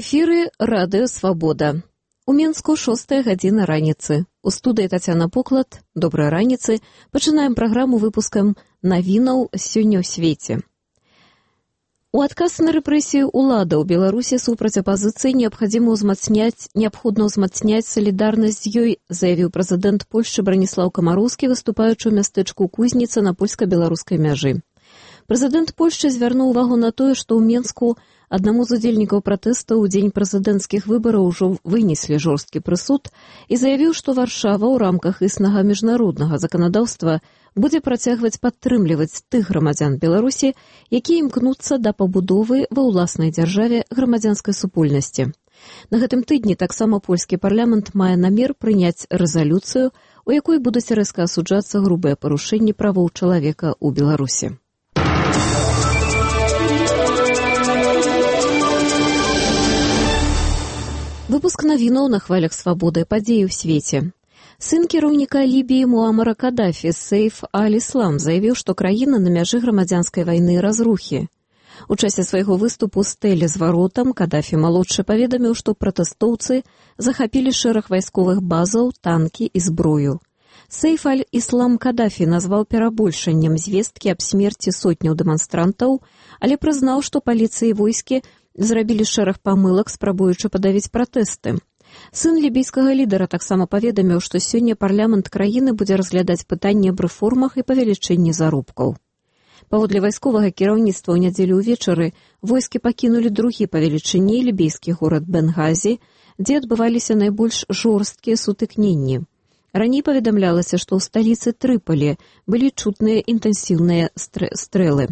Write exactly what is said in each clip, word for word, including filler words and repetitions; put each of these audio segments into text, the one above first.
эфіры радыё «Свабода». У Менску шостая гадзіна раніцы. У студыі Тацяна Поклад. Добрай раніцы. Пачынаем праграму выпускам навінаў сёння ў свеце. У адказ на рэпрэсію ўлада ў Беларусі супраць апазіцыі неабходна ўзмацняць, неабходна ўзмацняць салідарнасць з ёй, заявіў прэзідэнт Польшчы Браніслаў Камароўскі, выступаючы ў мястэчку Кузніца на польска-беларускай мяжы. Прэзідэнт Польшчы звярнуў увагу на тое, што ў Менску аднаму з удзельнікаў пратэстаў у дзень прэзідэнцкіх выбараў ужо вынеслі жорсткі прысуд і заявіў, што Варшава ў рамках існага міжнароднага заканадаўства будзе працягваць падтрымліваць тых грамадзян Беларусі, якія імкнуцца да пабудовы ва ўласнай дзяржаве грамадзянскай супольнасці. На гэтым тыдні таксама польскі парламент мае намер прыняць рэзалюцыю, у якой будуць рэзка асуджацца грубыя парушэнні правоў чалавека ў Беларусі. Выпуск навінаў на хвалях свабоды, падзеі ў свеце. Сын кіраўніка Лібіі Муамара Кадафі, Сейф аль-Іслам, заявіў, што краіна на мяжы грамадзянскай вайны і разрухі. У часе свайго выступу з тэлезваротам Кадафі-малодшы паведаміў, што пратэстоўцы захапілі шэраг вайсковых базаў, танкі і зброю. Сейф аль-Іслам Кадафі назваў перабольшаннем звесткі аб смерці сотняў дэманстрантаў, але прызнаў, што паліцыя і войскі зрабілі шэраг памылак, спрабуючы падавіць пратэсты. Сын лібійскага лідара таксама паведаміў, што сёння парламент краіны будзе разглядаць пытанні аб рэформах і павелічэнні заробкаў. Паводле вайсковага кіраўніцтва ў нядзелю ўвечары войскі пакінулі другі па велічыні лібійскі горад Бенгазі, дзе адбываліся найбольш жорсткія сутыкненні. Раней паведамлялася, што ў сталіцы Трыполі былі чутныя інтэнсіўныя стрэлы.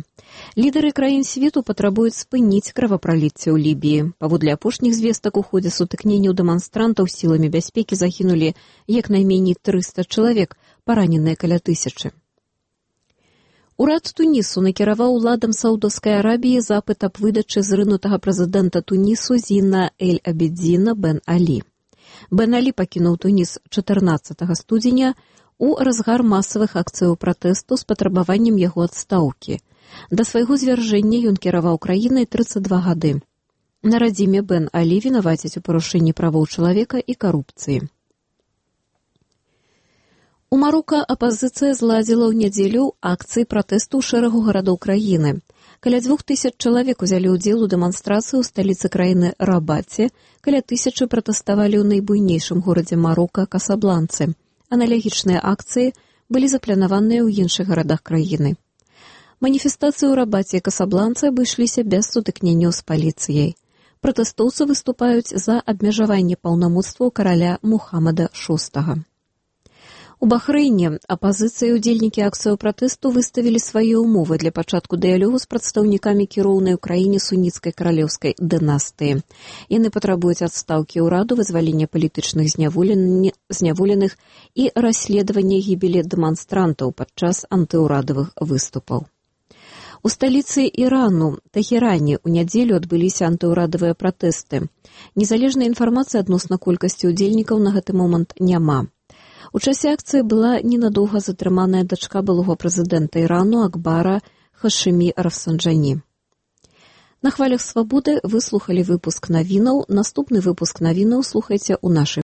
Лідары краін свету патрабуюць спыніць кровапраліцце ў Лібіі. Паводле апошніх звестак у ходзе сутыкненняў дэманстрантаў сіламі бяспекі загінулі як найменей трыста чалавек, параненыя каля тысячы. Урад Тунісу накіраваў уладам Саудаўскай Арабіі запыт аб выдачы зрынутага прэзідэнта Тунісу Зіна эль-Абідзіна бен Алі. Бен Алі пакінуў Туніс чатырнаццатага студзеня у разгар масавых акцыяў пратэсту з патрабаваннем яго адстаўкі. Да свайго звяржэння ён кіраваў краінай трыццаць два гады. На радзіме Бен Алі вінавацяць у парушэнні правоў чалавека і карупцыі. У Марока апазіцыя зладзіла ў нядзелю акцыі пратэсту ў шэрагу гарадоў краіны. Каля дзвюх тысяч чалавек узялі ўдзел у дэманстрацыі ў сталіцы краіны Рабаце, каля тысячы пратэставалі ў найбуйнейшым горадзе Марока Касабланцы. Аналагічныя акцыі былі запланаваныя ў іншых гарадах краіны. Маніфестацыі ў Рабаце і Касабланцы абышліся без сутыкненняў з паліцыяй. Пратэстоўцы выступаюць за абмежаванне паўнамоцтваў караля Мухаммада шостага. У Бахрэйне апазіцыя і ўдзельнікі акцыяў пратэсту выставілі свае ўмовы для пачатку дыялогу з прадстаўнікамі кіроўнай у краіне суніцкай каралеўскай дынастыі. Яны патрабуюць адстаўкі ўраду, вызвалення палітычных зняволеных і расследавання гібелі дэманстрантаў падчас антыўрадавых выступаў. У сталіцы Ірану, Тэхеране, у нядзелю адбыліся антыўрадавыя пратэсты. Незалежнай інфармацыі адносна колькасці ўдзельнікаў на гэты момант няма. У часе акцыі была ненадоўга затрыманая дачка былога прэзідэнта Ірану Акбара Хашымі Рафсанджані. На хвалях свабоды вы слухалі выпуск навінаў. Наступны выпуск навінаў слухайце ў нашай